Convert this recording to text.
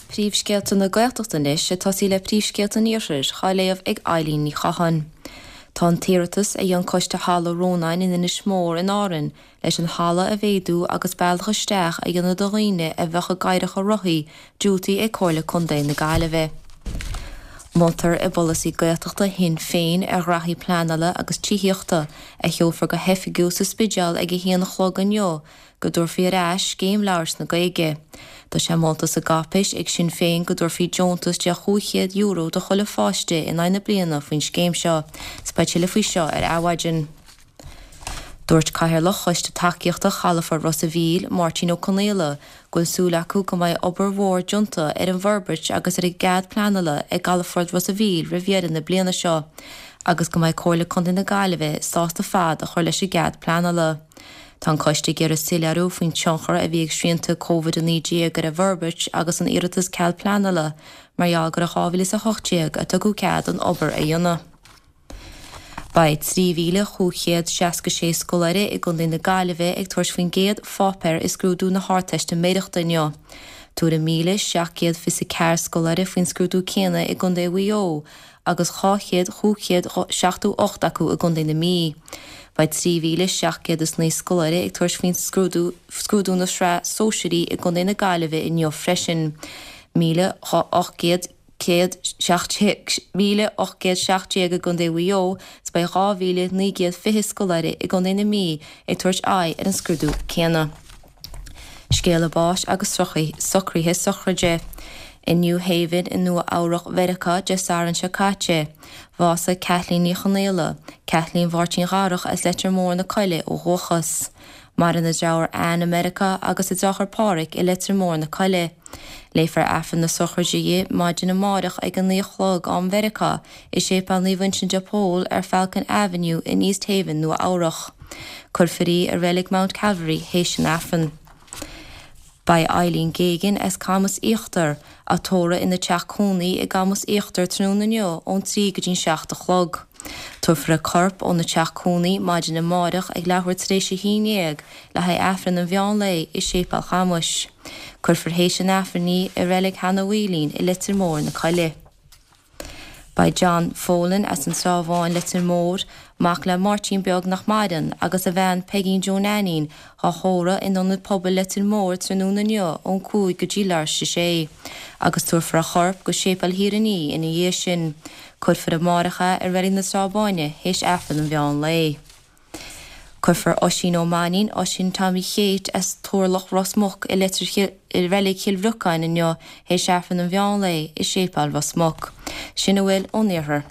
Príomhscéalta na Gaeltachta anois, ag tosaí le príomhscéalta an Iarthair, á léamh ag Eilín Ní Chatháin. Tá an t-iarratas a dhein Coiste Halla Rónáin in Inis Mór in Árainn leis an halla a mhéadú agus bealach isteach a dhéanamh do dhaoine a bheadh i gcathaoireacha rothaí diúltaithe ag Comhairle Contae na Gaillimhe. Moltar i bpolasaí Gaeltachta Shinn Féin ar ghraithí pleanála agus tithíochta, a sheolfar go hoifigiúil sa Spidéal ag a haon a chlog inniu, go dtabharfaí ar ais Scéim Labhairt na Gaeilge. Tá sé molta sa gcáipéis ag Sinn Féin go dtabharfaí deontas de €500 do chuile pháiste in aghaidh na bliana faoin scéim seo. 'S beidh tuilleadh faoi seo ar Adhmhaidin. Dúirt Cathaoirleach Choiste Tacaíochta Chalafort Ros a' Mhíl, Máirtín Ó Conaola, go bhfuil súil acu go mbeidh obair mhór déanta ar an bhforbairt agus ar an gcead pleanála i gCalafort Ros a' Mhíl roimh dheireadh na bliana seo agus go mbeidh Comhairle Contae na Gaillimhe sásta fad a chur leis an gcead pleanála. Tá an coiste ag iarraidh soiléiriú faoin tionchar a bhí ag srianta Covid-19 ar an bhforbairt agus an iarratas cead pleanála mar gheall gur i 2018 a tugadh cead an obair a dhéanamh. Beidh 3,566 scoláire i gContae na Gaillimhe ag tabhairt faoin gcéad pháipéar i scrúdú na hArdteistiméireachta inniu. Tabharfaidh 1,724 scoláire faoin scrúdú céanna i gContae Mhaigh Eo agus 200 578 acu i gContae na Mí. Beidh 3,709 scoláire ag tabhairt faoin scrúdú scrúdú na Sraithe Sóisearaí i gContae na Gaillimhe inniu freisin. 1,800 1,817 i gContae Mhaigh Eo 's beidh 2,920 scoláire i gContae na Mí ag tabhairt aghaidh ar an scrúdú céanna. Scéala báis agus socruithe sochraide. I New Haven i Nua Eabhrach Mheiriceá Dé Sathairn seo caite, bhásaigh Kathleen Ní Chonaola, Kathleen Mháirtín Dharach as Leitir Móir na Coille ó dhúchas. Maireann a deartháir Ann i Meiriceá agus a deartháir Páraic i Leitir Móir na Coille. Léifear Aifreann na sochraide di maidin amárach ag a 9 a chlog am Mheiriceá i Séipéal Naomh Uinseann de Pól ar Falcon Avenue in East Haven, Nua Eabhrach. Cuirfear í i Reilig Mount Calvary théis an Aifrinn. Beidh Eileen Geoghegan as Camas Íochtar á tórramh ina teach cónaí i gCamas Íochtar tráthnóna inniu ón 3 go dtí'n 7 a chlog. Tabharfar a corp óna teach cónaí maidin amáireach ag leathuair tar éis a haon dhéag le haghaidh Aifreann an mheán lae i Séipéal Chamuis. Cuirfear théis an Aifrinn í i Reilig Sheanadh Mhaoilín i Leitir Móir na Coille. Beidh John Folan as an Trá Bháin, Leitir Móir, mac le Máirtín Beag nach maireann, agus a bhean Peigín Joe Neainín, dhá thórramh in Ionad Pobail Leitir Móir tráthnóna inniu ón 5 go dtí leathuair tar éis a sé, agus tabharfar a chorp go Séipéal Thír an Fhia ina dhiaidh sin. Cuirfear amáireach é i Reilig na Trá Báine théis Aifreann an mheán lae. Cuirfear Oisín Ó Mainín, Oisín Tommy Kate, as Turlach Ros Muc i Leitir i Reilig Chill Bhriocáin inniu théis Aifreann an mheán lae i Séipéal Ros Muc. Sin a bhfuil ón Iarthar.